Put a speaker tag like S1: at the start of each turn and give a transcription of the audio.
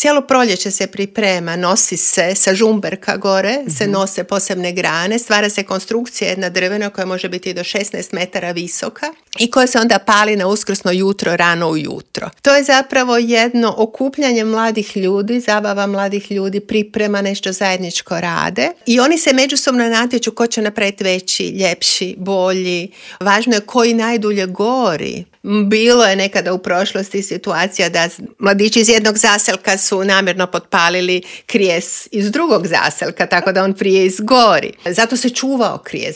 S1: cijelo proljeće se priprema, nosi se sa žumberka gore, se nose posebne grane, stvara se konstrukcija jedna drvena koja može biti do 16 metara visoka i koja se onda pali na uskrsno jutro, rano ujutro. To je zapravo jedno okupljanje mladih ljudi, zabava mladih ljudi, priprema, nešto zajedničko rade i oni se međusobno natječu ko će napraviti veći, ljepši, bolji. Važno je koji najdulje gori. Bilo je nekada u prošlosti situacija da mladići iz jednog zaselka su namjerno potpalili krijes iz drugog zaselka, tako da on prije izgori. Zato se čuvao krijes.